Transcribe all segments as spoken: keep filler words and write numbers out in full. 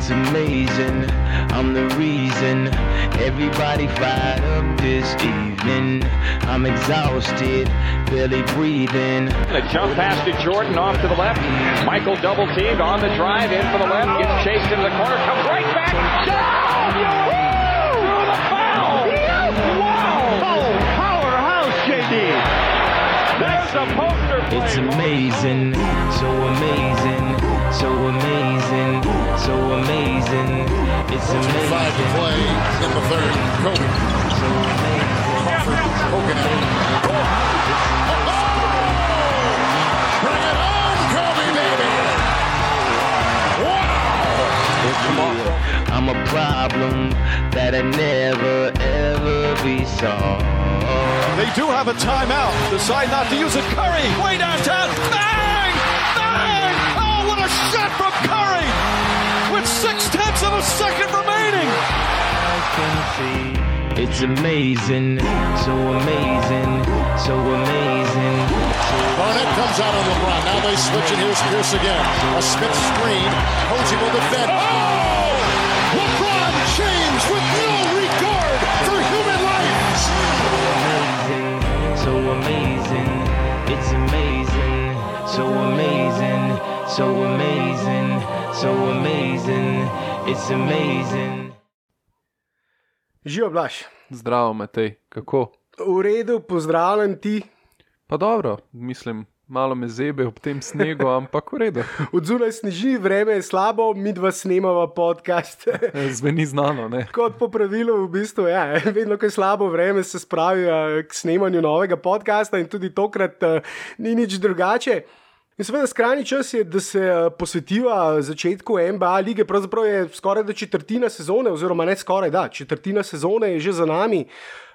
It's amazing, I'm the reason everybody fired up this evening. I'm exhausted, barely breathing. A jump pass to Jordan off to the left. Michael double teamed on the drive in for the left. Gets chased into the corner, comes right back. Down! Through the foul! Wow! Oh, powerhouse, J D. That's a poster play. It's amazing, so amazing, so amazing, so amazing. It's amazing. Five to play in the third. Kobe. So amazing. Poking it. Bring it on, Kobe, baby. Wow. I'm a problem that I never ever be solved. They do have a timeout. Decide not to use it. Curry, way downtown. Bang! Bang! Oh, what a shot from Curry! With six tenths of a second remaining. I can see it's amazing, so amazing, so amazing. So Barnett comes out on LeBron. Now they switch and here's Pierce again. A Smith screen. Posey will defend. Oh! LeBron James with no regard for human life. so amazing, it's amazing, so amazing, so amazing, so amazing, it's amazing. Živijo, Blaž. Zdravo, Matej, kako? V redu, pozdravljam ti. Pa dobro, mislim, malo me zebe ob tem snegu, ampak v redu. Od zunaj sneži, vreme je slabo, mi dva snemava podcast. Zveni znano, ne? Kot po pravilu, v bistvu, ja, vedno, ko je slabo vreme, se spravi k snemanju novega podcasta in tudi tokrat uh, ni nič drugače. In seveda skrajni čas je, da se posvetiva začetku N B A lige, pravzaprav je skoraj da četrtina sezone, oziroma ne skoraj da, četrtina sezone je že za nami.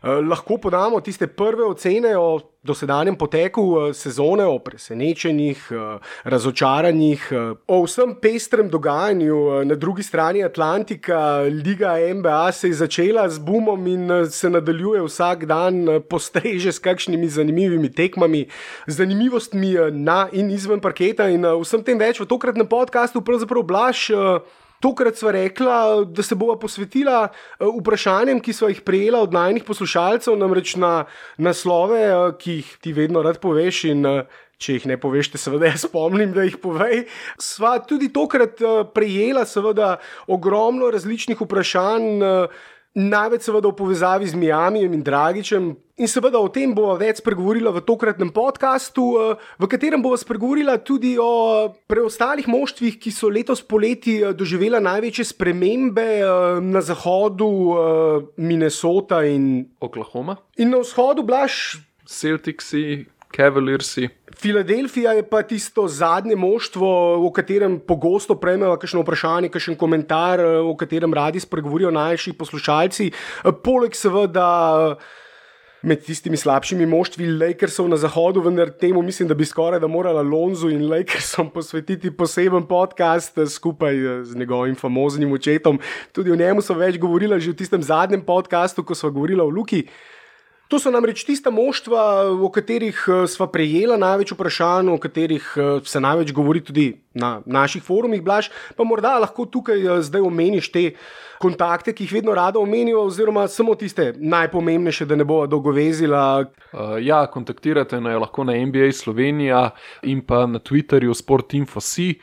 Eh, lahko podamo tiste prve ocene o dosedanjem poteku eh, sezone, o presenečenjih, eh, razočaranjih, eh, o vsem pestrem dogajanju eh, na drugi strani Atlantika. Liga N B A se je začela z boomom in eh, se nadaljuje vsak dan, eh, postreže s kakšnimi zanimivimi tekmami, zanimivostmi eh, na in izven parketa in uh, vsem tem več v tokratnem podcastu. Pravzaprav, Blaž, uh, tokrat sva rekla, da se bova posvetila uh, vprašanjem, ki sva jih prejela od najnih poslušalcev, namreč na naslove, uh, ki jih ti vedno rad poveš in uh, če jih ne poveš, te seveda jaz spomnim, da jih povej. Sva tudi tokrat uh, prejela seveda ogromno različnih vprašanj, uh, največ seveda v povezavi z Mijamijem in Dragičem. In seveda o tem bova več spregovorila v tokratnem podcastu, v katerem bova spregovorila tudi o preostalih moštvih, ki so letos poleti doživela največje spremembe na zahodu, Minnesota in Oklahoma. In na vzhodu, Blaž, Celticsi, Cavaliersi. Filadelfija je pa tisto zadnje moštvo, o katerem pogosto prejmejo kakšno vprašanje, kakšen komentar, o katerem radi spregovorijo najši poslušalci. Poleg seveda med tistimi slabšimi moštvi Lakersov na zahodu, vendar temu mislim, da bi skoraj da morala Lonzu in Lakersom posvetiti poseben podcast skupaj z njegovim famoznim očetom. Tudi o njemu so več govorila že v tistem zadnjem podcastu, ko sva govorila o Luki. To so namreč tista moštva, o katerih sva prejela največ vprašanj, o katerih se največ govori tudi na naših forumih, Blaž, pa morda lahko tukaj zdaj omeniš te kontakte, ki jih vedno rada omenijo, oziroma samo tiste najpomembnejše, da ne bova dolgovezila. Uh, ja, kontaktirate na, lahko na N B A Slovenija in pa na Twitterju sportinfo.si.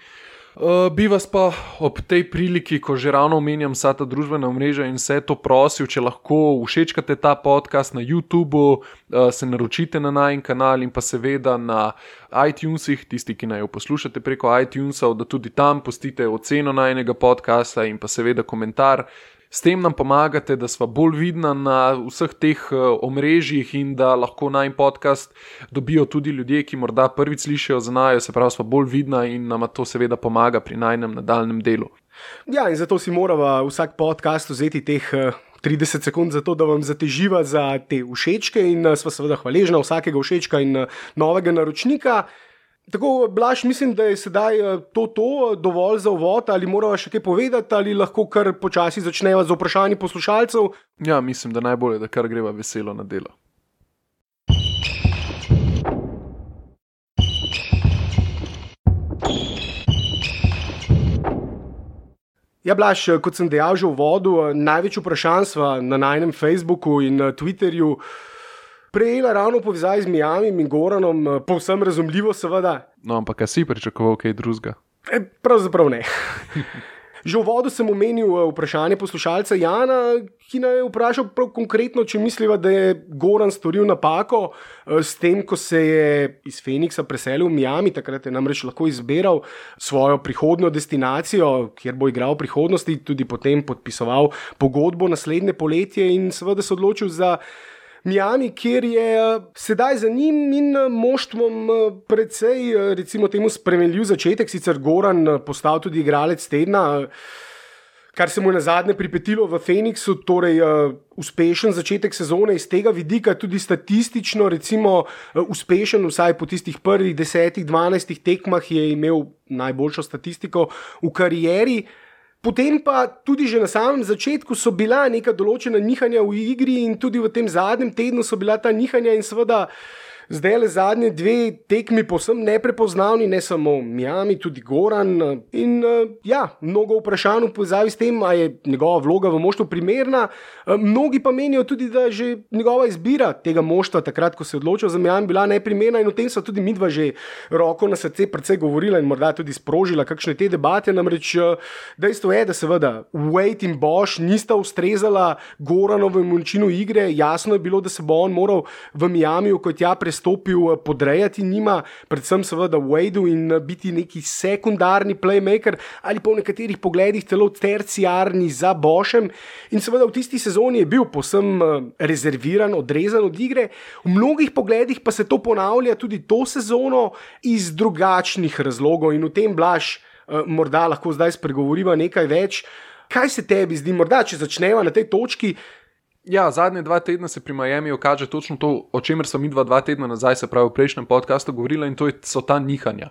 Uh, bi vas pa ob tej priliki, ko že ravno omenjam vsa ta družbena omrežja in vse to prosil, če lahko všečkate ta podcast na YouTubeu, uh, se naročite na najin kanal in pa seveda na iTunesih, tisti, ki naj jo poslušate preko iTunesov, da tudi tam pustite oceno najinega podcasta in pa seveda komentar. S tem nam pomagate, da sva bolj vidna na vseh teh omrežjih in da lahko najin podcast dobijo tudi ljudje, ki morda prvič slišijo za naju, se pravi, sva bolj vidna in nama to seveda pomaga pri najinem nadaljnem delu. Ja, in zato si morava vsak podcast vzeti teh trideset sekund za to, da vam zateživa za te všečke in sva seveda hvaležna vsakega všečka in novega naročnika. Tako, Blaž, mislim, da je sedaj to, to dovolj za uvod, ali morava še kaj povedati, ali lahko kar počasi začneva z vprašanji poslušalcev. Ja, mislim, da najbolje, da kar greva veselo na delo. Ja, Blaž, kot sem dejal že v uvodu, največ vprašanj sva na najnem Facebooku in Twitterju prejela ravno v povezavi z Miamim in Goranom, povsem razumljivo seveda. No, ampak kaj si pričakoval kaj drugega? E, pravzaprav ne. Že v uvodu sem omenil vprašanje poslušalca Jana, ki naj je vprašal prav konkretno, če misliva, da je Goran storil napako s tem, ko se je iz Phoenixa preselil v Miami, takrat je namreč lahko izbiral svojo prihodnjo destinacijo, kjer bo igral v prihodnosti, tudi potem podpisoval pogodbo naslednje poletje in seveda se odločil za Miami, kjer je sedaj za njim in moštvom precej, recimo temu, spremenljiv začetek, sicer Goran postal tudi igralec tedna, kar se mu je nazadnje pripetilo v Phoenixu, torej uspešen začetek sezone iz tega vidika, tudi statistično, recimo uspešen, vsaj po tistih prvih desetih, dvanajstih tekmah je imel najboljšo statistiko v karieri. Potem pa tudi že na samem začetku so bila neka določena nihanja v igri in tudi v tem zadnjem tednu so bila ta nihanja in seveda zdaj le zadnje dve tekmi povsem neprepoznavni, ne samo Miami, tudi Goran in ja, mnogo vprašanj v povezavi s tem, a je njegova vloga v moštvu primerna. Mnogi pa menijo tudi, da že njegova izbira tega moštva takrat, ko se je odločil za Miami, bila neprimerna in o tem so tudi midva že roko na srce precej govorila in morda tudi sprožila kakšne te debate, namreč dejstvo je, da seveda Wade in Bosh nista ustrezala Goranovemu načinu igre, jasno je bilo, da se bo on moral v Miamiju kot ja stopil podrejati njima, predvsem seveda Wadeu in biti neki sekundarni playmaker ali pa v nekaterih pogledih celo terciarni za Boshem in seveda v tisti sezoni je bil povsem rezerviran, odrezan od igre, v mnogih pogledih pa se to ponavlja tudi to sezono iz drugačnih razlogov in v tem, Blaž, morda lahko zdaj spregovoriva nekaj več. Kaj se tebi zdi, morda če začneva na tej točki? Ja, zadnje dva tedna se pri Miamiju kaže točno to, o čemer sem midva dva tedna nazaj, se pravi v prejšnjem podcastu govorila in to je, so ta nihanja.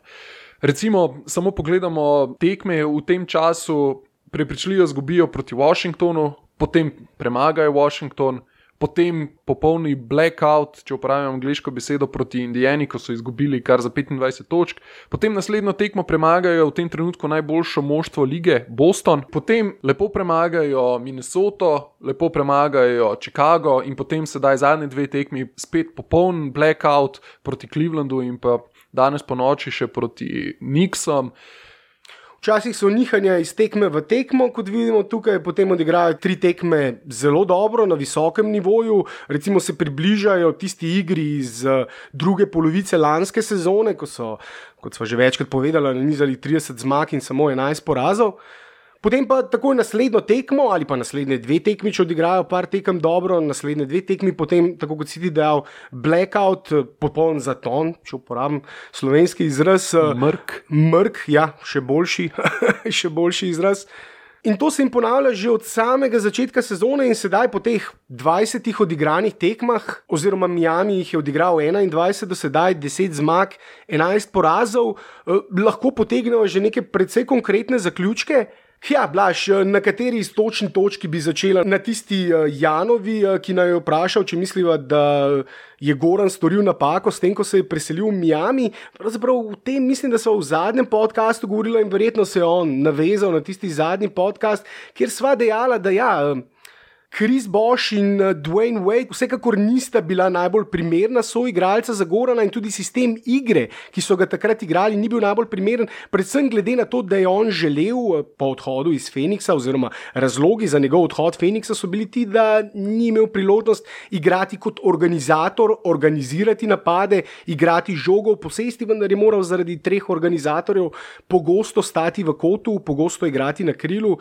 Recimo, samo pogledamo tekme v tem času, prepričljivo zgubijo proti Washingtonu, potem premagajo Washington, potem popolni blackout, če uporabljam angleško besedo, proti Indiani, ko so izgubili kar za petindvajset točk, potem naslednjo tekmo premagajo v tem trenutku najboljšo moštvo lige Boston, potem lepo premagajo Minnesoto, lepo premagajo Chicago in potem sedaj zadnje dve tekmi spet popoln blackout proti Clevelandu in pa danes po noči še proti Knicksom. Včasih so nihanja iz tekme v tekmo, kot vidimo tukaj, potem odigrajo tri tekme zelo dobro, na visokem nivoju, recimo se približajo tisti igri iz druge polovice lanske sezone, ko so, kot sva že večkrat povedala, nanizali trideset zmag in samo enajst porazov. Potem pa takoj naslednjo tekmo ali pa naslednje dve tekmi, če odigrajo par tekem dobro, naslednje dve tekmi, potem, tako kot si ti dejal, blackout, popoln zaton, če uporabim slovenski izraz. Mrk. Mrk, ja, še boljši, še boljši izraz. In to se jim ponavlja že od samega začetka sezone in sedaj po teh dvajsetih odigranih tekmah, oziroma Miami jih je odigral enaindvajset, do sedaj deset zmag, enajst porazov, eh, lahko potegnemo že neke precej konkretne zaključke. Ja, Blaž, na kateri iztočni točki bi začela? Na tisti Janovi, ki naj je vprašal, če misliva, da je Goran storil napako s tem, ko se je preselil v Miami. Pravzaprav v tem mislim, da so v zadnjem podcastu govorila in verjetno se je on navezal na tisti zadnji podcast, kjer sva dejala, da ja, Chris Bosh in Dwayne Wade vsekakor nista bila najbolj primerna soigralca za Gorana in tudi sistem igre, ki so ga takrat igrali, ni bil najbolj primeren, predvsem glede na to, da je on želel po odhodu iz Phoenixa oziroma razlogi za njegov odhod Phoenixa so bili ti, da ni imel priložnost igrati kot organizator, organizirati napade, igrati žogo v posesti, vendar je moral zaradi treh organizatorjev pogosto stati v kotu, pogosto igrati na krilu.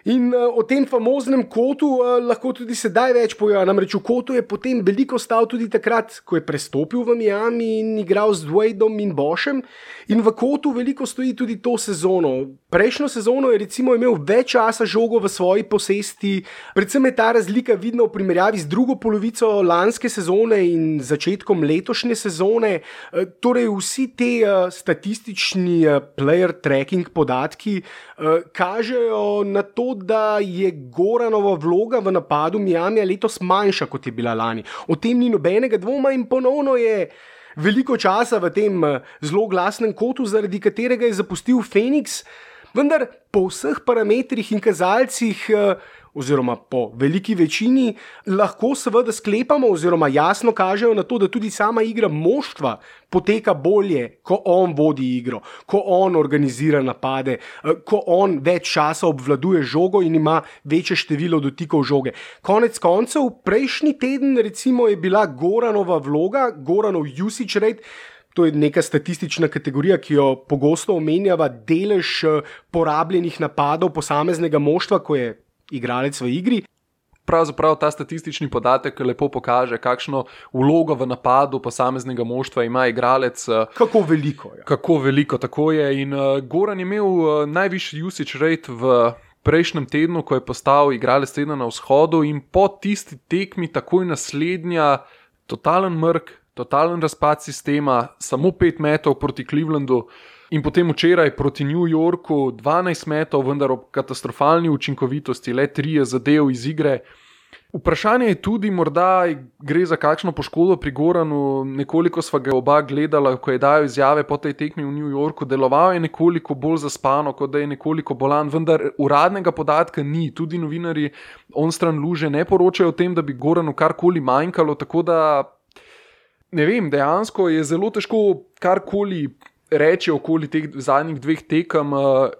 In uh, o tem famoznem kotu uh, lahko tudi sedaj več pojava, namreč v kotu je potem veliko stal tudi takrat, ko je prestopil v Miami in igral z Wadeom in Boshem in v kotu veliko stoji tudi to sezono. Prejšnjo sezono je recimo imel več časa žogo v svoji posesti, predvsem je ta razlika vidna v primerjavi z drugo polovico lanske sezone in začetkom letošnje sezone, uh, torej vsi te uh, statistični uh, player tracking podatki uh, kažejo na to, da je Goranova vloga v napadu Miamija letos manjša, kot je bila lani. O tem ni nobenega dvoma in ponovno je veliko časa v tem zelo glasnem kotu, zaradi katerega je zapustil Phoenix. Vendar po vseh parametrih in kazalcih, oziroma po veliki večini, lahko seveda sklepamo oziroma jasno kažejo na to, da tudi sama igra moštva poteka bolje, ko on vodi igro, ko on organizira napade, ko on več časa obvladuje žogo in ima večje število dotikov žoge. Konec koncev, prejšnji teden recimo je bila Goranova vloga, Goranov usage rate. To je neka statistična kategorija, ki jo pogosto omenjava, delež porabljenih napadov posameznega moštva, ko je igralec v igri. Pravzaprav ta statistični podatek lepo pokaže, kakšno vlogo v napadu posameznega moštva ima igralec. Kako veliko je. Kako veliko, tako je. In uh, Goran je imel uh, najvišji usage rate v prejšnjem tednu, ko je postal igralec tedna na vzhodu, in po tisti tekmi takoj naslednja totalen mrk, totalen razpad sistema, samo pet metov proti Clevelandu in potem včeraj proti New Yorku dvanajst metov, vendar ob katastrofalni učinkovitosti, le trije zadev iz igre. Vprašanje je tudi, morda gre za kakšno poškodbo pri Goranu, nekoliko sva ga oba gledala, ko je dajal izjave po tej tekmi v New Yorku, deloval je nekoliko bolj zaspano, kot da je nekoliko bolan, vendar uradnega podatka ni, tudi novinarji onstran luže ne poročajo o tem, da bi Goranu karkoli manjkalo, tako da ne vem, dejansko je zelo težko karkoli reči okoli teh zadnjih dveh tekem,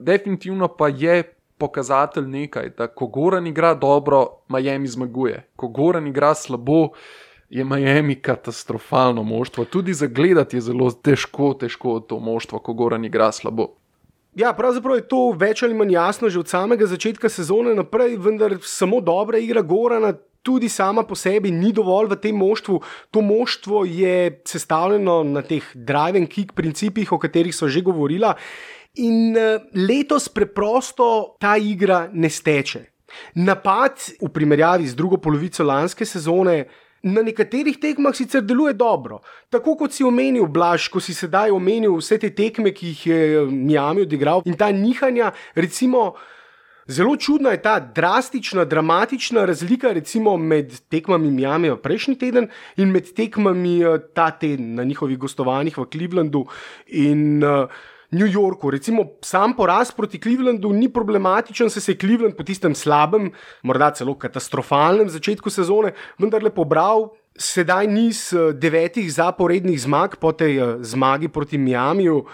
definitivno pa je pokazatelj nekaj, da ko Goran igra dobro, Miami zmaguje. Ko Goran igra slabo, je Miami katastrofalno moštvo. Tudi zagledati je zelo težko, težko to moštvo, ko Goran igra slabo. Ja, pravzaprav je to več ali manj jasno že od samega začetka sezone naprej, vendar samo dobra igra Gorana tudi sama po sebi ni dovolj v tem moštvu. To moštvo je sestavljeno na teh drive and kick principih, o katerih so že govorila, in letos preprosto ta igra ne steče. Napad v primerjavi z drugo polovico lanske sezone na nekaterih tekmah sicer deluje dobro. Tako kot si omenil, Blaž, ko si sedaj omenil vse te tekme, ki jih je Miami odigral, in ta nihanja, recimo, zelo čudna je ta drastična, dramatična razlika recimo med tekmami Miami prejšnji teden in med tekmami ta teden na njihovih gostovanjih v Clevelandu in uh, New Yorku. Recimo sam poraz proti Clevelandu ni problematičen, se se je Cleveland po tistem slabem, morda celo katastrofalnem začetku sezone vendarle pobral. Sedaj niz devetih zaporednih zmag po tej zmagi proti Miamiju.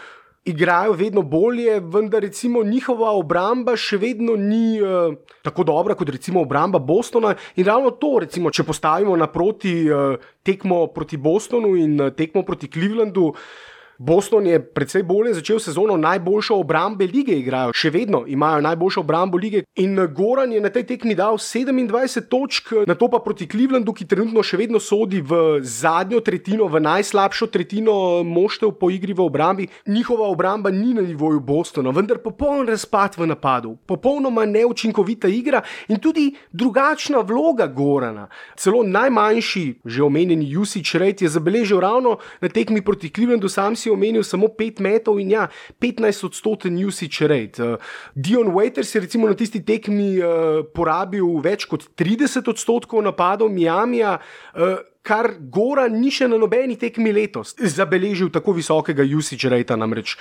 Igrajo vedno bolje, vendar recimo njihova obramba še vedno ni uh, tako dobra kot recimo obramba Bostona, in ravno to, recimo, če postavimo naproti uh, tekmo proti Bostonu in uh, tekmo proti Clevelandu, Boston je precej bolje začel sezono, najboljšo obrambe lige igrajo, še vedno imajo najboljšo obrambo lige, in Goran je na tej tekmi dal sedemindvajset točk, na to pa proti Clevelandu, ki trenutno še vedno sodi v zadnjo tretjino, v najslabšo tretjino moštev po igri v obrambi. Njihova obramba ni na nivoju Bostona, vendar popoln razpad v napadu, popolnoma neučinkovita igra in tudi drugačna vloga Gorana. Celo najmanjši, že omenjeni usage rate je zabeležil ravno na tekmi proti Clevelandu, sam si omenil samo pet metov in ja, petnajst odstoten usage rate. Uh, Dion Waiters je recimo na tisti tekmi uh, porabil več kot trideset odstotkov napadov Miamija, uh, kar Goran ni še na nobeni tekmi letos zabeležil tako visokega usage rata namreč.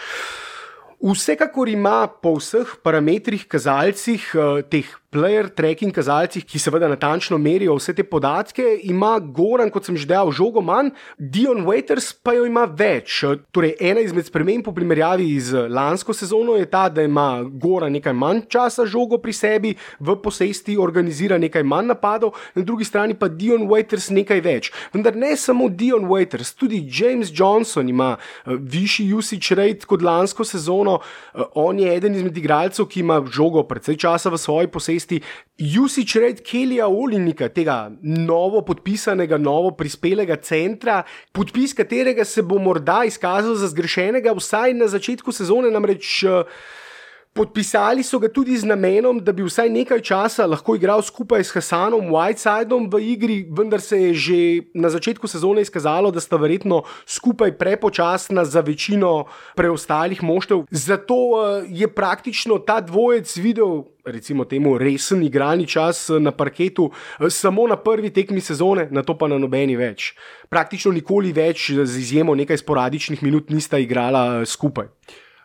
Vsekakor ima po vseh parametrih, kazalcih, uh, teh player tracking kazalcih, ki seveda natančno merijo vse te podatke, ima Goran, kot sem že dejal, žogo manj, Dion Waiters pa jo ima več. Torej, ena izmed sprememb po primerjavi z lansko sezono je ta, da ima Goran nekaj manj časa žogo pri sebi, v posesti organizira nekaj manj napadov, na drugi strani pa Dion Waiters nekaj več. Vendar ne samo Dion Waiters, tudi James Johnson ima uh, višji usage rate kot lansko sezono. Uh, on je eden izmed igralcev, ki ima žogo precej časa v svoji posesti. Usage rate Kellyja Oliniga, tega novo podpisanega, novo prispelega centra, podpis katerega se bo morda izkazal za zgrešenega vsaj na začetku sezone, namreč podpisali so ga tudi z namenom, da bi vsaj nekaj časa lahko igral skupaj s Hassanom Whitesidom v igri, vendar se je že na začetku sezone izkazalo, da sta verjetno skupaj prepočasna za večino preostalih moštev. Zato je praktično ta dvojec videl, recimo temu, resen igralni čas na parketu samo na prvi tekmi sezone, na to pa na nobeni več. Praktično nikoli več, z izjemo nekaj sporadičnih minut, nista igrala skupaj.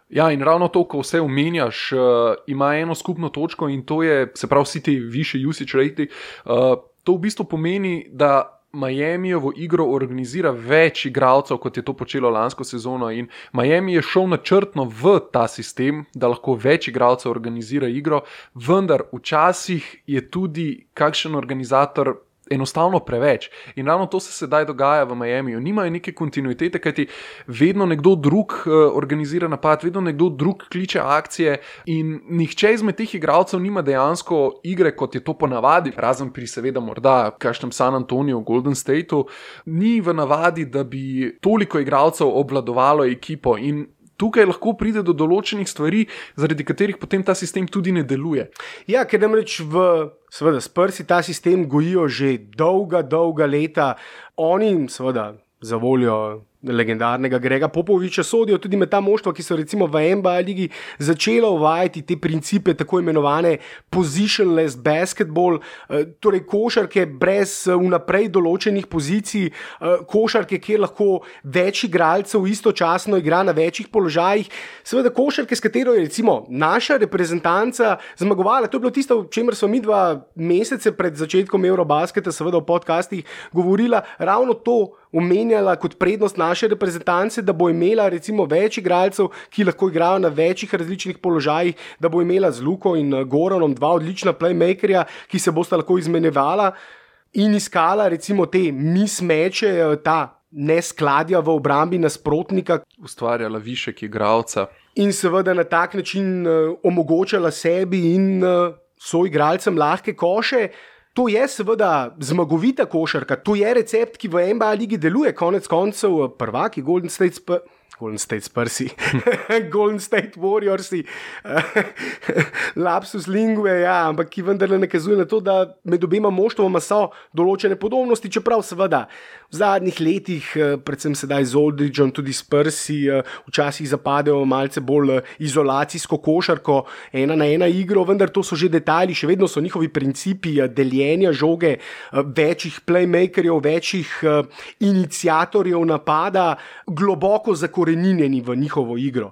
Ja, in ravno to, ko vse omenjaš, uh, ima eno skupno točko in to je, se pravi, vsi ti višji usage rate, uh, to v bistvu pomeni, da Miamijevo igro organizira več igralcev, kot je to počelo lansko sezono, in Miami je šel načrtno v ta sistem, da lahko več igralcev organizira igro, vendar včasih je tudi kakšen organizator enostavno preveč. In ravno to se sedaj dogaja v Miamiju. Nimajo neke kontinuitete, kajti vedno nekdo drug uh, organizira napad, vedno nekdo drug kliče akcije in nihče izmed teh igralcev nima dejansko igre, kot je to ponavadi, razen pri seveda morda kakšnem San Antoniju, Golden Stateu, ni v navadi, da bi toliko igralcev obvladovalo ekipo in tukaj lahko pride do določenih stvari, zaradi katerih potem ta sistem tudi ne deluje. Ja, ker namreč v, seveda, Spursi ta sistem gojijo že dolga, dolga leta. Oni, seveda, za voljo legendarnega Grega Popoviča sodijo tudi med ta moštva, ki so recimo v N B A ligi začela uvajati te principe tako imenovane positionless basketball, torej košarke brez vnaprej določenih pozicij, košarke, kjer lahko več igralcev istočasno igra na večjih položajih. Seveda košarke, s katero je recimo naša reprezentanca zmagovala, to je bilo tisto, o čemer smo mi dva mesece pred začetkom Eurobasketa seveda v podcastih govorila, ravno to omenjala kot prednost naše reprezentance, da bo imela recimo več igralcev, ki lahko igrajo na večjih različnih položajih, da bo imela z Luko in Goranom dva odlična playmakerja, ki se bosta lahko izmenjevala in iskala recimo te mismeče, ta neskladja v obrambi nasprotnika. Ustvarjala višek igralca. In seveda na tak način uh, omogočala sebi in uh, soigralcem lahke koše. To je seveda zmagovita košarka, to je recept, ki v N B A ligi deluje, konec koncev prvaki Golden State Spurs, Golden State Spursi, Golden State Warriorsi, lapsus lingue, ja, ampak ki vendarle nakazuje na to, da med obema moštvoma so določene podobnosti, čeprav seveda v zadnjih letih, predvsem sedaj z Aldridgeom, tudi Spursi včasih zapadejo malce bolj izolacijsko košarko, ena na ena igro, vendar to so že detajli, še vedno so njihovi principi deljenja žoge, večjih playmakerjev, večjih iniciatorjev napada, globoko zakoreninjeni v njihovo igro.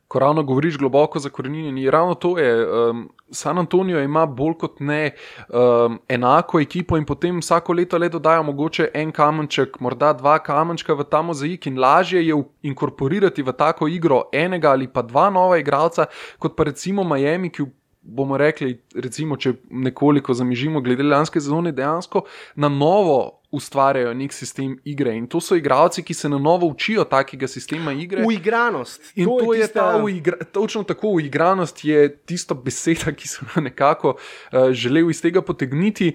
Ko ravno govoriš globoko zakoreninjeni, ravno to je, um, San Antonio ima bolj kot ne um, enako ekipo in potem vsako leto le dodajo mogoče en kamenček, morda dva kamenčka v ta mozaik in lažje je inkorporirati v tako igro enega ali pa dva nova igralca, kot pa recimo Miami, ki bomo rekli, recimo, če nekoliko zamižimo glede lanske sezone, dejansko na novo ustvarjajo nek sistem igre in to so igralci, ki se na novo učijo takega sistema igre. Uigranost. In to, to je, je tista... ta uigra... točno tako, uigranost je tisto beseda, ki sem nekako uh, želel iz tega potegniti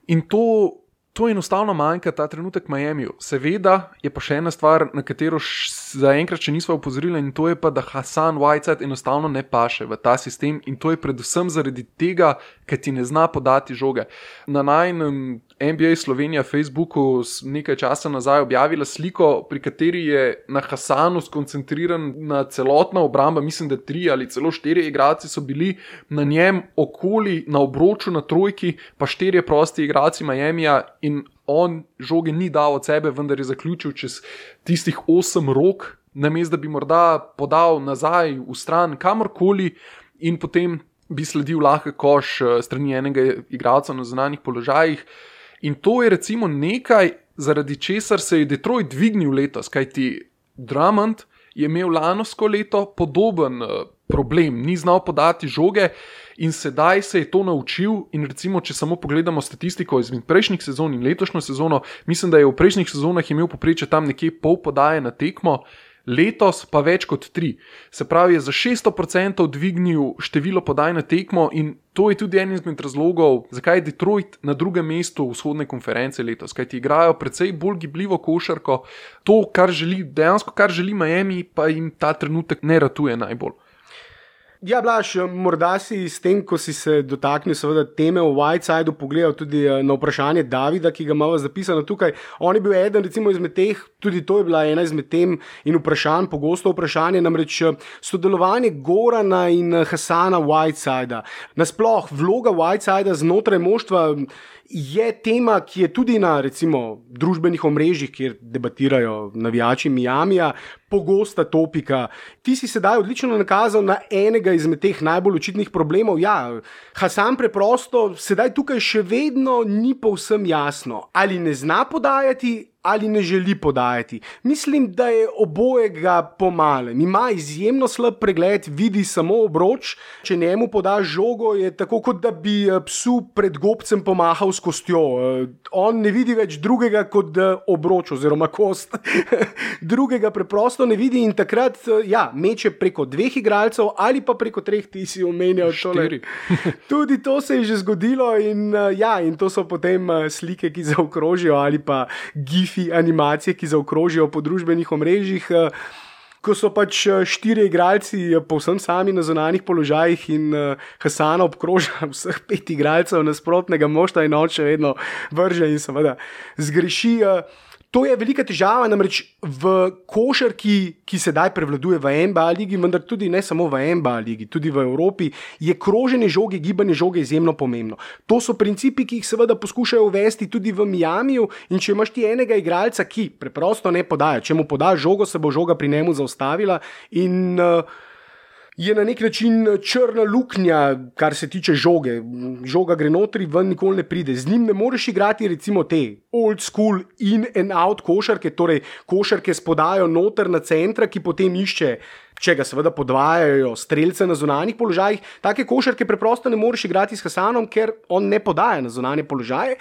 in to To enostavno manjka ta trenutek Miamiju. Seveda je pa še ena stvar, na katero zaenkrat še nismo opozorili, in to je pa, da Hassan Whiteside enostavno ne paše v ta sistem in to je predvsem zaradi tega, ker ti ne zna podati žoge. Na najnem N B A Slovenija Facebooku nekaj časa nazaj objavila sliko, pri kateri je na Hassanu skoncentriran na celotna obramba, mislim, da tri ali celo štiri igralci so bili na njem okoli, na obroču, na trojki, pa štirje prosti igralci Miamija in on žoge ni dal od sebe, vendar je zaključil čez tistih osem rok, namesto da bi morda podal nazaj v stran kamorkoli in potem bi sledil lahko koš strani enega igralca na zunanjih položajih. In to je recimo nekaj, zaradi česar se je Detroit dvignil letos, kajti Drummond je imel lanosko leto podoben problem, ni znal podati žoge in sedaj se je to naučil in recimo, če samo pogledamo statistiko izmed prejšnjih sezon in letošnjo sezono, mislim, da je v prejšnjih sezonah imel poprečje tam nekje pol podaje na tekmo, letos pa več kot tri. Se pravi, je za šeststo procentov dvignil število podaj na tekmo in to je tudi en izmed razlogov, zakaj je Detroit na drugem mestu vzhodne konference letos, kajti igrajo precej bolj gibljivo košarko, to, kar želi, dejansko kar želi Miami, pa jim ta trenutek ne ratuje najbolj. Ja, Blaž, morda si s tem, ko si se dotaknil seveda teme o Whitesideu, pogledal tudi na vprašanje Davida, ki ga imamo zapisano tukaj. On je bil eden recimo izmed teh, tudi to je bila ena izmed tem in vprašanj, pogosto vprašanje, namreč sodelovanje Gorana in Hassana Whitesidea. Nasploh vloga Whitesidea znotraj moštva je tema, ki je tudi na recimo družbenih omrežjih, kjer debatirajo navijači Miamija, pogosta topika. Ti si sedaj odlično nakazal na enega izmed teh najbolj očitnih problemov. Ja, Hasan preprosto sedaj tukaj še vedno ni povsem jasno, ali ne zna podajati, ali ne želi podajati. Mislim, da je obojega pomale. Ima izjemno slab pregled, vidi samo obroč. Če njemu podaš žogo, je tako, kot da bi psu pred gobcem pomahal s kostjo. On ne vidi več drugega kot obroč oziroma kost. Drugega preprosto ne vidi in takrat ja, meče preko dveh igralcev ali pa preko treh, ti si omenjal tole. Tudi to se je že zgodilo in, ja, in to so potem slike, ki zaokrožijo ali pa gif animacije, ki zaokrožijo po družbenih omrežjih, ko so pač štiri igralci povsem sami na zunanjih položajih in Hasana obkroža vseh pet igralcev nasprotnega moštva in on še vedno vrže in seveda zgreši. To je velika težava, namreč v košarki, ki sedaj prevladuje v N B A ligi, vendar tudi ne samo v N B A ligi, tudi v Evropi, je kroženje žoge, gibanje žoge izjemno pomembno. To so principi, ki jih seveda poskušajo uvesti tudi v Miamiju in če imaš ti enega igralca, ki preprosto ne podaja, če mu podaš žogo, se bo žoga pri njemu zaustavila in uh, je na nek način črna luknja, kar se tiče žoge. Žoga gre notri, ven nikoli ne pride. Z njim ne moreš igrati recimo te old school in and out košarke, torej košarke spodajo noter na centra, ki potem išče, če ga seveda podvajajo strelce na zunanjih položajih. Take košarke preprosto ne moreš igrati s Hasanom, ker on ne podaja na zunanje položaje.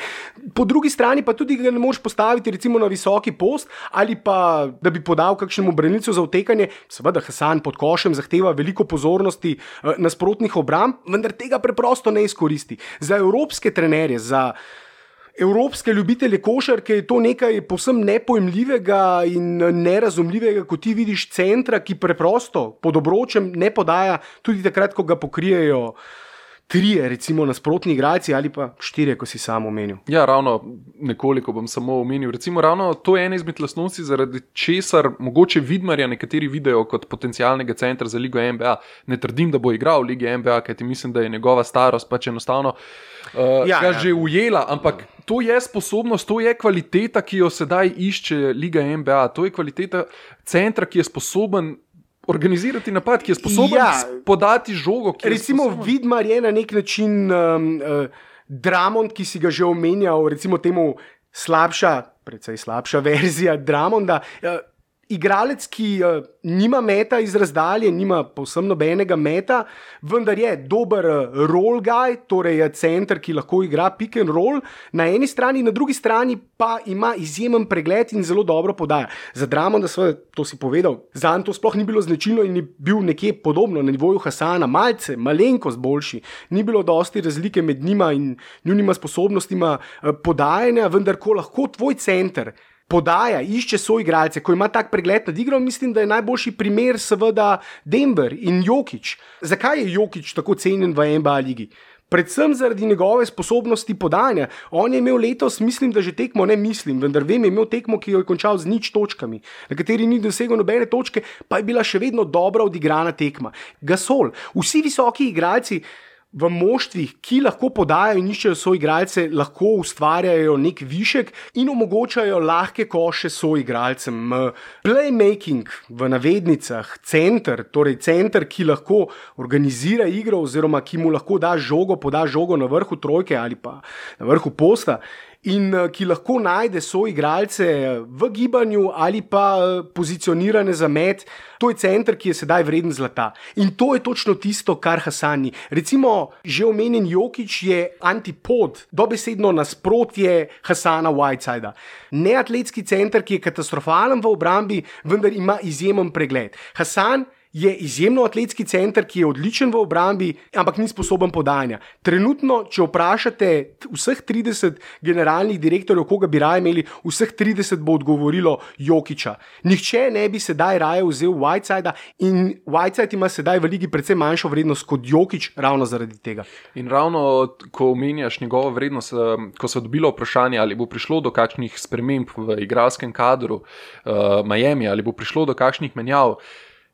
Po drugi strani pa tudi ga ne moreš postaviti recimo na visoki post ali pa da bi podal kakšnemu branilcu za utekanje. Seveda Hasan pod košem zahteva veliko pozornosti eh, nasprotnih obramb, vendar tega preprosto ne izkoristi. Za evropske trenerje, za evropske ljubitelje košarke je to nekaj povsem nepojmljivega in nerazumljivega, ko ti vidiš centra, ki preprosto pod obročem ne podaja tudi takrat, ko ga pokrijejo trije, recimo nasprotni igralci ali pa štirje, ko si sam omenil. Ja, ravno nekoliko bom samo omenil. Recimo ravno to je ena izmed lastnosti, zaradi česar mogoče Vidmarja nekateri vidijo kot potencialnega centra za ligo N B A. Ne trdim, da bo igral v ligi N B A, kajti mislim, da je njegova starost pač enostavno uh, ja, ga ja. že ujela, ampak to je sposobnost, to je kvaliteta, ki jo sedaj išče liga N B A. To je kvaliteta centra, ki je sposoben organizirati napad, ki je sposoben ja, podati žogo. Recimo Vidmar je na nek način um, uh, Drummond, ki si ga že omenjal, recimo temu slabša, precej slabša verzija Drummonda. Uh, igralec, ki uh, nima meta iz razdalje, nima povsem nobenega meta, vendar je dober uh, roll guy, torej je center, ki lahko igra pick and roll na eni strani, na drugi strani pa ima izjemen pregled in zelo dobro podaja. Za Drummonda, seveda, to si povedal, zanj to sploh ni bilo značilno in je bil nekje podobno na nivoju Hasana, malce, malenkost boljši. Ni bilo dosti razlike med njima in njunima sposobnostima uh, podajanja, vendar ko lahko tvoj center podaja, išče soigralce, ko ima tak pregled nad igro, mislim, da je najboljši primer seveda Denver in Jokić. Zakaj je Jokić tako cenjen v N B A ligi? Predvsem zaradi njegove sposobnosti podajanja. On je imel letos, mislim, da že tekmo, ne mislim, vendar vem, je imel tekmo, ki jo je končal z nič točkami, na kateri ni dosegel nobene točke, pa je bila še vedno dobra odigrana tekma. Gasol, vsi visoki igralci v moštvih, ki lahko podajajo in iščejo soigralce, lahko ustvarjajo nek višek in omogočajo lahke koše soigralcem. Playmaking v navednicah, center, torej center, ki lahko organizira igro oziroma ki mu lahko da žogo, poda žogo na vrhu trojke ali pa na vrhu posta in ki lahko najde soigralce v gibanju ali pa pozicionirane za met. To je center, ki je sedaj vreden zlata. In to je točno tisto, kar Hasan ni. Recimo, že omenjen Jokić je antipod, dobesedno nasprotje Hasana Whitesida. Neatletski center, ki je katastrofalen v obrambi, vendar ima izjemen pregled. Hasan je izjemno atletski center, ki je odličen v obrambi, ampak ni sposoben podajanja. Trenutno, če vprašate vseh trideset generalnih direktorjev, koga bi raje imeli, vseh trideset bo odgovorilo Jokića. Nihče ne bi sedaj raje vzel Whitesida in Whiteside ima sedaj v ligi precej manjšo vrednost kot Jokić ravno zaradi tega. In ravno, ko omenjaš njegovo vrednost, ko se je dobilo vprašanje, ali bo prišlo do kakšnih sprememb v igralskem kadru uh, Miami, ali bo prišlo do kakšnih menjav,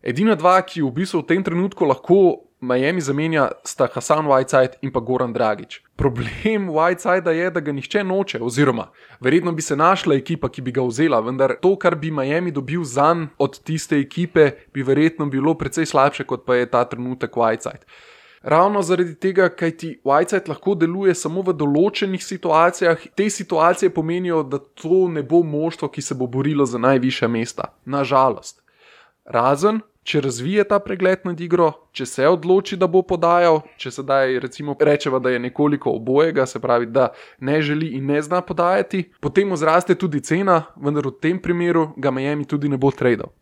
edina dva, ki v bistvu v tem trenutku lahko Miami zamenja sta Hassan Whiteside in pa Goran Dragić. Problem Whitesida je, da ga nihče noče, oziroma verjetno bi se našla ekipa, ki bi ga vzela, vendar to, kar bi Miami dobil zanj od tiste ekipe, bi verjetno bilo precej slabše, kot pa je ta trenutek Whiteside. Ravno zaradi tega, kaj ti Whiteside lahko deluje samo v določenih situacijah, te situacije pomenijo, da to ne bo moštvo, ki se bo borilo za najvišja mesta. Nažalost. Razen, če razvije ta pregled nad igro, če se odloči, da bo podajal, če sedaj recimo rečeva, da je nekoliko obojega, se pravi, da ne želi in ne zna podajati, potem zraste tudi cena, vendar v tem primeru ga Miami tudi ne bo tradal.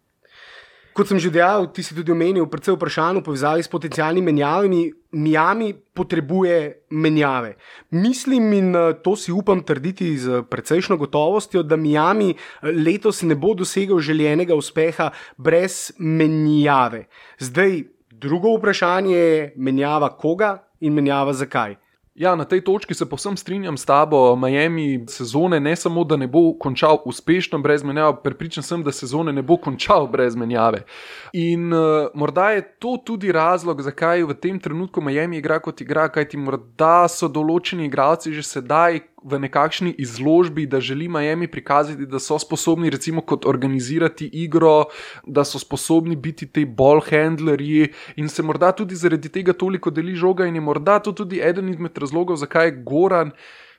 Kot sem že dejal, ti si tudi omenil, predvsem vprašanje v povezavi s potencialnimi menjavami. Miami potrebuje menjave. Mislim in to si upam trditi z precejšno gotovostjo, da Miami letos ne bo dosegel željenega uspeha brez menjave. Zdaj, drugo vprašanje je menjava koga in menjava zakaj. Ja, na tej točki se povsem strinjam s tabo. Miami sezone ne samo, da ne bo končal uspešno brez menjave, prepričan sem, da sezone ne bo končal brez menjave. In uh, morda je to tudi razlog, zakaj v tem trenutku Miami igra kot igra, kajti morda so določeni igralci že sedaj v nekakšni izložbi, da želi Miami prikazati, da so sposobni recimo kot organizirati igro, da so sposobni biti te ball handlerji in se morda tudi zaradi tega toliko deli žoga in je morda to tudi eden izmed razlogov, zakaj je Goran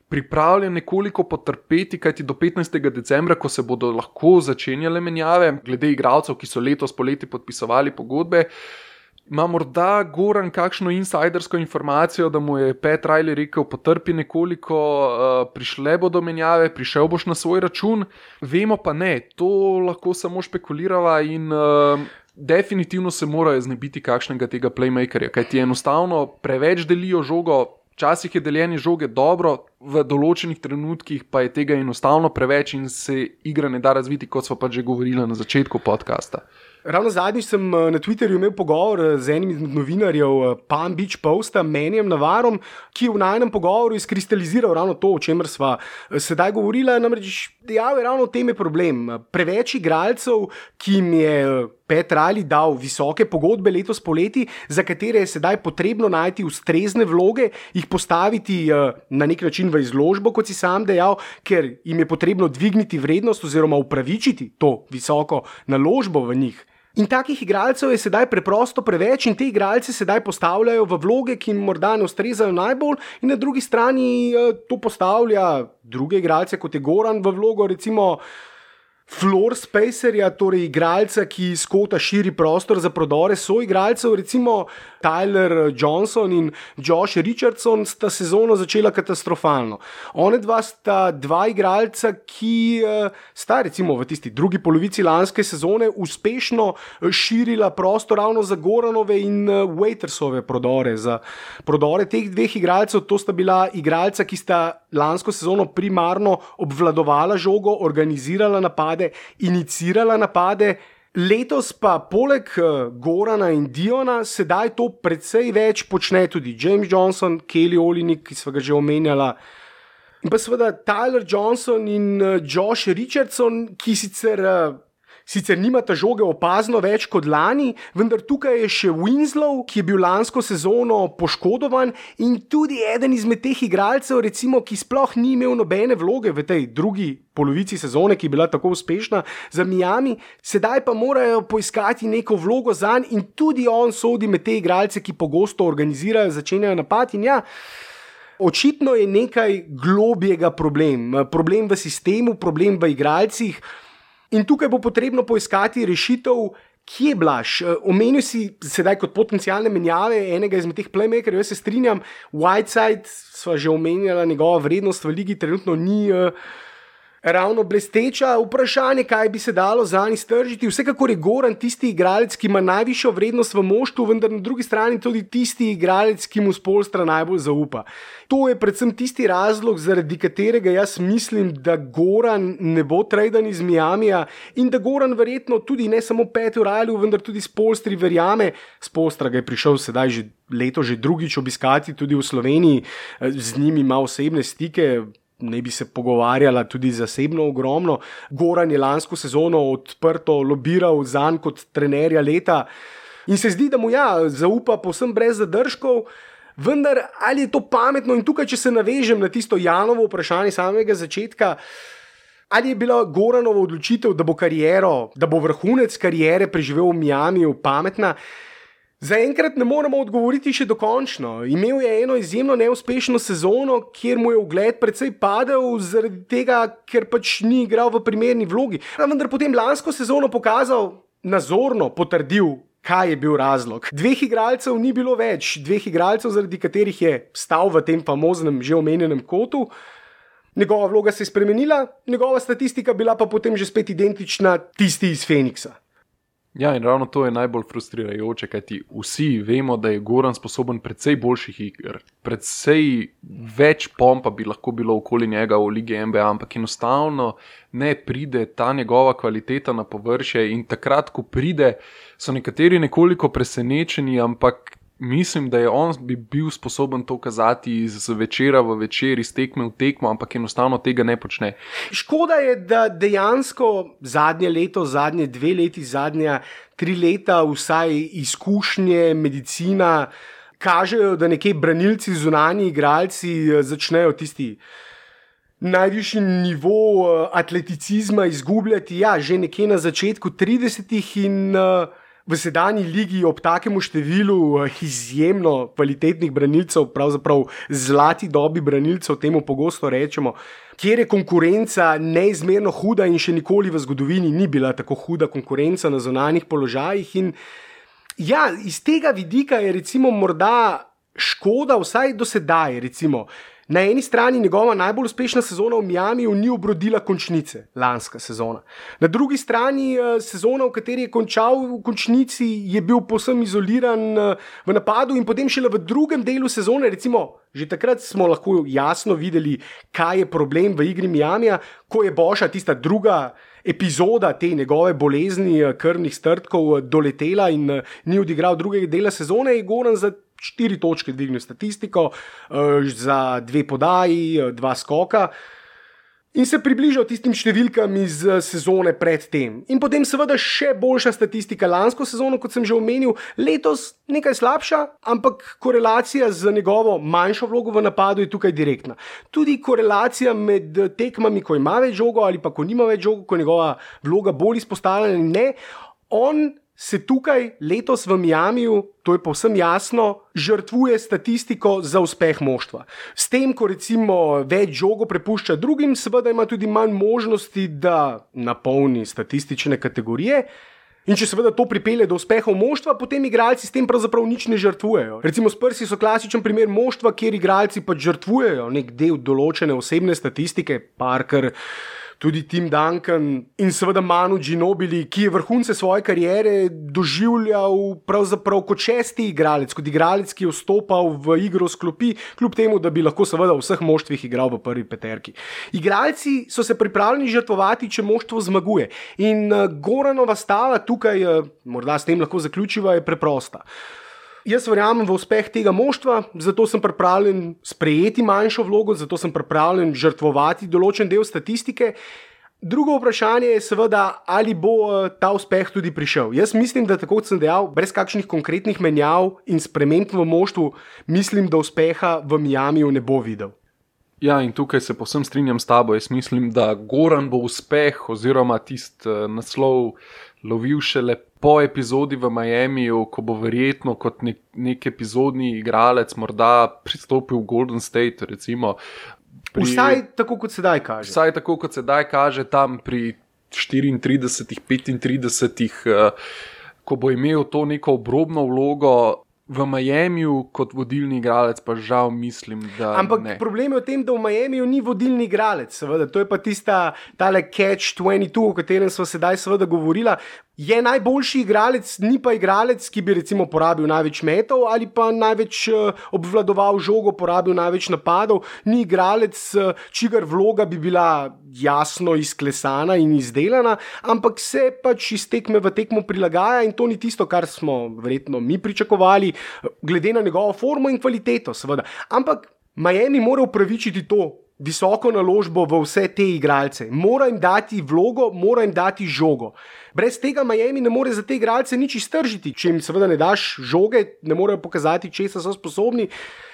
pripravljen nekoliko potrpeti, kajti do petnajstega decembra, ko se bodo lahko začenjale menjave, glede igralcev, ki so letos poleti podpisovali pogodbe, ima morda Goran kakšno insidersko informacijo, da mu je Pat Riley rekel, potrpi nekoliko, uh, prišle bodo menjave, prišel boš na svoj račun, vemo pa ne, to lahko samo špekulirava in uh, definitivno se morajo znebiti kakšnega tega playmakerja, kajti enostavno preveč delijo žogo, včasih je deljenje žoge dobro, v določenih trenutkih pa je tega enostavno preveč in se igra ne da razviti, kot smo pa že govorili na začetku podcasta. Ravno zadnjič sem na Twitterju imel pogovor z enim izmed novinarjev Palm Beach Posta, Menjem Navarom, ki je v najnem pogovoru izkristaliziral ravno to, o čemer sva sedaj govorila, namreč dejal je ravno o tem je problem. Preveč igralcev, ki jim je Pat Riley dal visoke pogodbe letos poleti, za katere je sedaj potrebno najti ustrezne vloge, jih postaviti na nek način v izložbo, kot si sam dejal, ker jim je potrebno dvigniti vrednost oziroma upravičiti to visoko naložbo v njih. In takih igralcev je sedaj preprosto preveč in te igralce sedaj postavljajo v vloge, ki jim morda ne ustrezajo najbolj in na drugi strani to postavlja druge igralce, kot je Goran, v vlogo recimo floor spacerja, torej igralca, ki iz kota širi prostor za prodore soigralcev, recimo Tyler Johnson in Josh Richardson sta sezono začela katastrofalno. One dva sta dva igralca, ki sta recimo v tisti drugi polovici lanske sezone uspešno širila prostor ravno za Goranove in Waitersove prodore. Za prodore teh dveh igralcev, to sta bila igralca, ki sta lansko sezono primarno obvladovala žogo, organizirala napade, inicirala napade. Letos pa poleg Gorana in Diona sedaj to precej več počne tudi James Johnson, Kelly Olynyk, ki sva ga že omenjala, in pa seveda Tyler Johnson in Josh Richardson, ki sicer Sicer nimata žoge opazno več kot lani, vendar tukaj je še Winslow, ki je bil lansko sezono poškodovan in tudi eden izmed teh igralcev, recimo, ki sploh ni imel nobene vloge v tej drugi polovici sezone, ki je bila tako uspešna za Miami, sedaj pa morajo poiskati neko vlogo zanj in tudi on sodi med te igralce, ki pogosto organizirajo, začenjajo napad in ja, očitno je nekaj globjega problem. Problem v sistemu, problem v igralcih. In tukaj bo potrebno poiskati rešitev, kje Blaž. Omenil si sedaj kot potencialne menjave enega izmed teh playmakerjev, jaz se strinjam, Whiteside, sva že omenjala, njegova vrednost v ligi trenutno ni uh, ravno blesteča. Vprašanje, kaj bi se dalo zanj iztržiti. Vsekakor je Goran tisti igralec, ki ima najvišjo vrednost v moštvu, vendar na drugi strani tudi tisti igralec, ki mu Spoelstra najbolj zaupa. To je predvsem tisti razlog, zaradi katerega jaz mislim, da Goran ne bo tradan iz Miamija in da Goran verjetno tudi ne samo Patu Rileyju, vendar tudi Spoelstri verjame. Spoelstra ga je prišel sedaj že leto, že drugič obiskati tudi v Sloveniji, z njimi ima osebne stike, ne bi se pogovarjala tudi zasebno ogromno. Goran je lansko sezono odprto lobiral zanj kot trenerja leta. In se zdi, da mu ja, zaupa povsem brez zadržkov, vendar ali je to pametno in tukaj, če se navežem na tisto Janovo vprašanje samega začetka, ali je bila Goranova odločitev, da bo kariero, da bo vrhunec kariere preživel v Miamiju pametna, zaenkrat ne moremo odgovoriti še dokončno. Imel je eno izjemno neuspešno sezono, kjer mu je ugled precej padel zaradi tega, ker pač ni igral v primerni vlogi. A vendar potem lansko sezono pokazal, nazorno potrdil, kaj je bil razlog. Dveh igralcev ni bilo več, dveh igralcev, zaradi katerih je stal v tem famoznem že omenjenem kotu. Njegova vloga se je spremenila, njegova statistika bila pa potem že spet identična tisti iz Feniksa. Ja, in ravno to je najbolj frustrirajoče, kajti vsi vemo, da je Goran sposoben precej boljših iger, precej več pompa bi lahko bilo okoli njega v Ligi N B A, ampak enostavno ne pride ta njegova kvaliteta na površje in takrat, ko pride, so nekateri nekoliko presenečeni, ampak mislim, da je on bi bil sposoben to kazati iz večera v večer, iz tekme v tekmo, ampak enostavno tega ne počne. Škoda je, da dejansko zadnje leto, zadnje dve leti, zadnja tri leta vsaj izkušnje, medicina kažejo, da nekje branilci, zunanji igralci začnejo tisti najvišji nivo atleticizma izgubljati, ja, že nekje na začetku tridesetih in uh, v sedanji ligi ob takemu številu izjemno kvalitetnih branilcev, pravzaprav zlati dobi branilcev, temu pogosto rečemo, kjer je konkurenca neizmerno huda in še nikoli v zgodovini ni bila tako huda konkurenca na zunanjih položajih. In ja, iz tega vidika je recimo morda škoda, vsaj do sedaj, recimo, na eni strani njegova najbolj uspešna sezona v Miamiju ni obrodila končnice, lanska sezona. Na drugi strani sezona, v kateri je končal v končnici, je bil povsem izoliran v napadu in potem šele v drugem delu sezone, recimo, že takrat smo lahko jasno videli, kaj je problem v igri Miamija, ko je Boša tista druga epizoda te njegove bolezni krvnih strdkov doletela in ni odigral drugega dela sezone, je Goran za štiri točke dvignil statistiko, za dve podaji, dva skoka in se približal tistim številkam iz sezone pred tem. In potem seveda še boljša statistika lansko sezono, kot sem že omenil, letos nekaj slabša, ampak korelacija z njegovo manjšo vlogo v napadu je tukaj direktna. Tudi korelacija med tekmami, ko ima več žogo ali pa ko nima več žogo, ko njegova vloga bolj izpostavljena, ne, on se tukaj letos v Miamiju, to je povsem jasno, žrtvuje statistiko za uspeh moštva. S tem, ko recimo več žogo prepušča drugim, seveda ima tudi manj možnosti, da napolni statistične kategorije. In če seveda to pripelje do uspehov moštva, potem igralci s tem pravzaprav nič ne žrtvujejo. Recimo Spursi so klasičen primer moštva, kjer igralci pač žrtvujejo nek del določene osebne statistike, Parker, tudi Tim Duncan in seveda Manu Ginobili, ki je vrhunce svoje kariere doživljal pravzaprav kot šesti igralec, kot igralec, ki je vstopal v igro s klopi, kljub temu, da bi lahko seveda v vseh moštvih igral v prvi peterki. Igralci so se pripravljeni žrtvovati, če moštvo zmaguje. In Goranova stava tukaj, morda s tem lahko zaključiva, je preprosta. Jaz verjamem v uspeh tega moštva, zato sem pripravljen sprejeti manjšo vlogo, zato sem pripravljen žrtvovati določen del statistike. Drugo vprašanje je seveda, ali bo ta uspeh tudi prišel. Jaz mislim, da tako kot sem dejal, brez kakšnih konkretnih menjav in sprememb v moštvu, mislim, da uspeha v Miamiju ne bo videl. Ja, in tukaj se povsem strinjam s tabo. Jaz mislim, da Goran bo uspeh oziroma tist naslov lovil šele po epizodi v Miamiju, ko bo verjetno kot nek, nek epizodni igralec morda pristopil v Golden State, recimo. Pri, vsaj tako, kot sedaj kaže. Vsaj tako, kot sedaj kaže, tam pri štiriintridesetih, petintridesetih, ko bo imel to neko obrobno vlogo. V Miamiju kot vodilni igralec pa žal mislim, da Ampak ne. problem je v tem, da v Miamiju ni vodilni igralec, seveda. To je pa tista tale catch dvajset dva, o katerem smo sedaj seveda govorila. Je najboljši igralec, ni pa igralec, ki bi recimo porabil največ metov ali pa največ obvladoval žogo, porabil največ napadov. Ni igralec, čigar vloga bi bila jasno izklesana in izdelana, ampak se pač iz tekme v tekmo prilagaja in to ni tisto, kar smo verjetno mi pričakovali, glede na njegovo formo in kvaliteto, seveda. Ampak Miami mora upravičiti to visoko naložbo v vse te igralce. Mora jim dati vlogo, mora jim dati žogo. Brez tega Miami ne more za te igralce nič iztržiti. Če jim seveda ne daš žoge, ne morejo pokazati, česa so sposobni.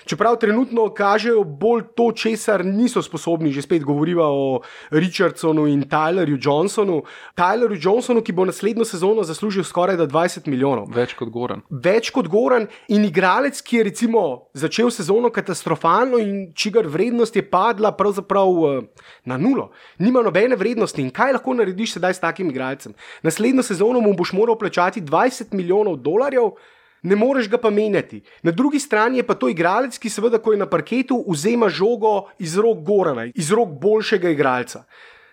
Čeprav trenutno kažejo bolj to, česar niso sposobni. Že spet govoriva o Richardsonu in Tylerju Johnsonu. Tylerju Johnsonu, ki bo naslednjo sezono zaslužil skoraj da dvajset milijonov. Več kot Goran. Več kot Goran in igralec, ki je recimo začel sezono katastrofalno in čigar vrednost je padla pravzaprav na nulo. Nima nobene vrednosti in kaj lahko narediš sedaj s takim igralcem? Naslednjo sezono mu boš moral plačati dvajset milijonov dolarjev, ne moreš ga pa menjati. Na drugi strani je pa to igralec, ki seveda, ko je na parketu, vzema žogo iz rok Gorana, iz rok boljšega igralca.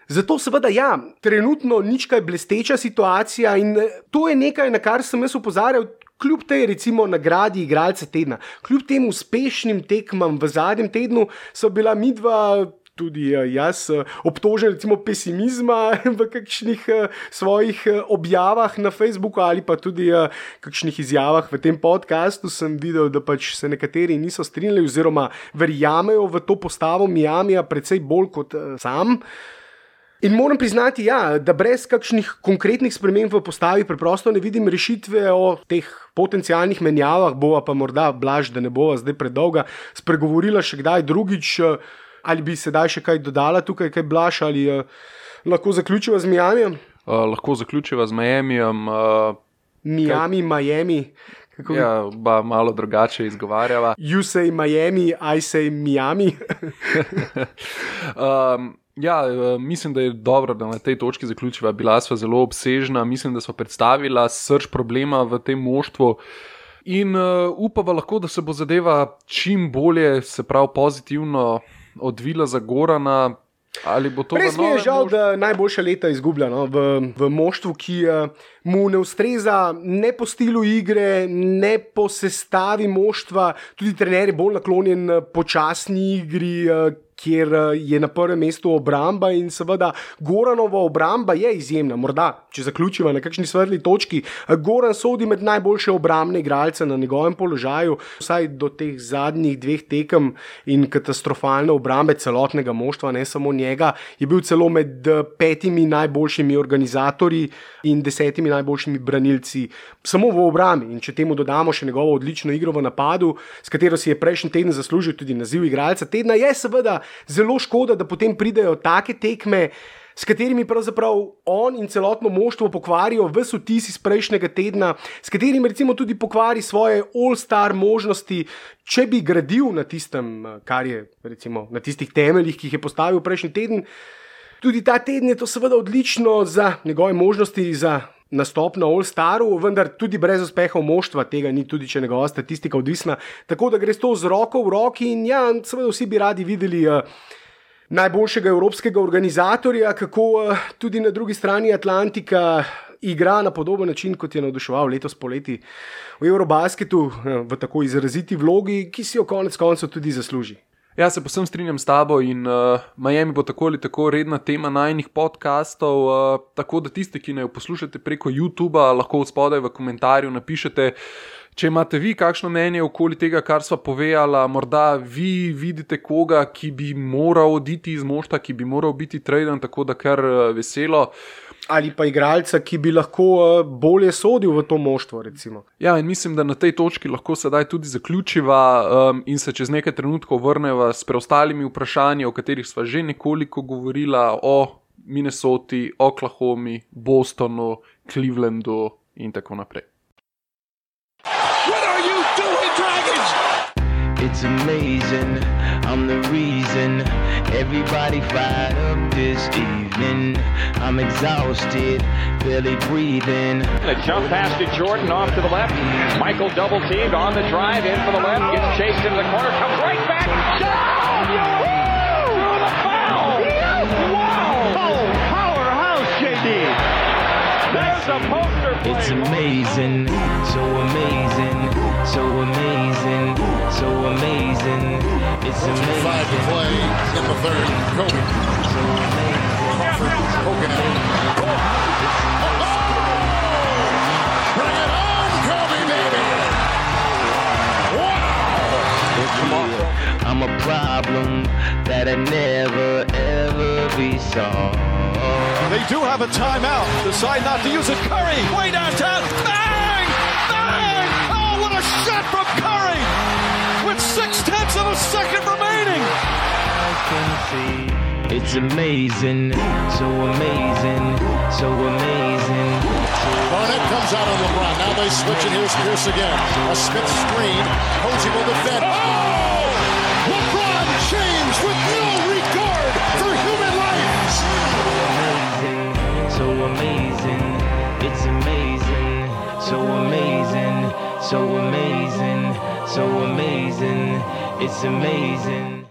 Zato seveda ja, trenutno nič kaj blesteča situacija in to je nekaj, na kar sem jaz opozarjal, kljub tej recimo nagradi igralca tedna, kljub tem uspešnim tekmam v zadnjem tednu so bila midva, tudi jaz, obtožen recimo pesimizma v kakšnih svojih objavah na Facebooku ali pa tudi kakšnih izjavah v tem podcastu sem videl, da pač se nekateri niso strinjali oziroma verjamejo v to postavo Miamija precej bolj kot sam. In moram priznati, ja, da brez kakšnih konkretnih sprememb v postavi preprosto ne vidim rešitve o teh potencialnih menjavah, bova pa morda Blaž, da ne bova zdaj predolga, spregovorila še kdaj drugič. Ali bi sedaj še kaj dodala tukaj, kaj Blaž, ali uh, lahko zaključiva z Miamijem? Uh, lahko zaključiva z Miamijem. Uh, Miami, kaj... Miami. Kako ja, ba malo drugače izgovarjava. You say Miami, I say Miami. um, ja, mislim, da je dobro, da na tej točki zaključiva. Bila sva zelo obsežna, mislim, da sva predstavila srž problema v tem moštvu. In uh, upava lahko, da se bo zadeva čim bolje, se pravi pozitivno odvila za Gorana. Ali bo to res mi je žal, moštvu? Da najboljša leta izgublja no? v, v moštvu, ki uh, mu ne ustreza ne po stilu igre, ne po sestavi moštva. Tudi trener je bolj naklonjen počasni igri, uh, kjer je na prvem mestu obramba in seveda Goranova obramba je izjemna. Morda, če zaključiva na kakšni svetli točki, Goran sodi med najboljše obrambne igralce na njegovem položaju, vsaj do teh zadnjih dveh tekem in katastrofalne obrambe celotnega moštva, ne samo njega, je bil celo med petimi najboljšimi organizatorji in desetimi najboljšimi branilci samo v obrambi. In če temu dodamo še njegovo odlično igro v napadu, s katero si je prejšnji teden zaslužil tudi naziv igralca tedna, je seveda zelo škoda, da potem pridejo take tekme, s katerimi pravzaprav on in celotno moštvo pokvarijo ves vtis iz prejšnjega tedna, s katerim recimo tudi pokvari svoje all-star možnosti, če bi gradil na tistem, kar je recimo na tistih temeljih, ki jih je postavil prejšnji teden. Tudi ta teden je to seveda odlično za njegove možnosti za nastop na All-Staru, vendar tudi brez uspehov moštva tega ni, tudi če njegova statistika odvisna. Tako da gre to z roko v roki in ja, seveda vsi bi radi videli uh, najboljšega evropskega organizatorja, kako uh, tudi na drugi strani Atlantika igra na podoben način, kot je navduševal letos poleti v Eurobasketu, uh, v tako izraziti vlogi, ki si jo konec koncev tudi zasluži. Ja, se posem strinjam s tabo in uh, Miami bo tako ali tako redna tema najnih podcastov, uh, tako da tisti, ki ne jo poslušate preko YouTubea, lahko spodaj v komentarju napišete, če imate vi kakšno mnenje okoli tega, kar sva povedala, morda vi vidite koga, ki bi moral oditi iz moštva, ki bi moral biti traden, tako da kar uh, veselo. Ali pa igralca, ki bi lahko bolje sodil v to moštvo, recimo. Ja, in mislim, da na tej točki lahko sedaj tudi zaključiva um, in se čez nekaj trenutkov vrneva s preostalimi vprašanji, o katerih sva že nekoliko govorila, o Minnesoti, Oklahomi, Bostonu, Clevelandu in tako naprej. What are you doing, Dragons? It's amazing, I'm the reason everybody fired up this evening. I'm exhausted, barely breathing. The jump pass to Jordan off to the left. Michael double teamed on the drive in for the left. Gets chased into the corner, comes right back. Down! Through the foul! Wow! Oh, powerhouse, J D. There's a poster play. It's amazing, so amazing, so amazing, so amazing. It's amazing. Five to play in the third. Kobe. So amazing. Kobe. Oh! Bring it on, Kobe, baby! Wow! I'm a problem that I never ever be solved. They do have a timeout. Decide not to use it. Curry, way downtown. Bang! Bang! Oh, what a shot from Curry! With six tenths of a second remaining. I can see it's amazing, so amazing, so amazing. Barnett comes out on LeBron. Now they switch and here's Pierce again. A Smith screen. Posey will defend. Oh! LeBron James with no regard for human life. So amazing, it's amazing, so amazing, so amazing, so amazing, it's amazing.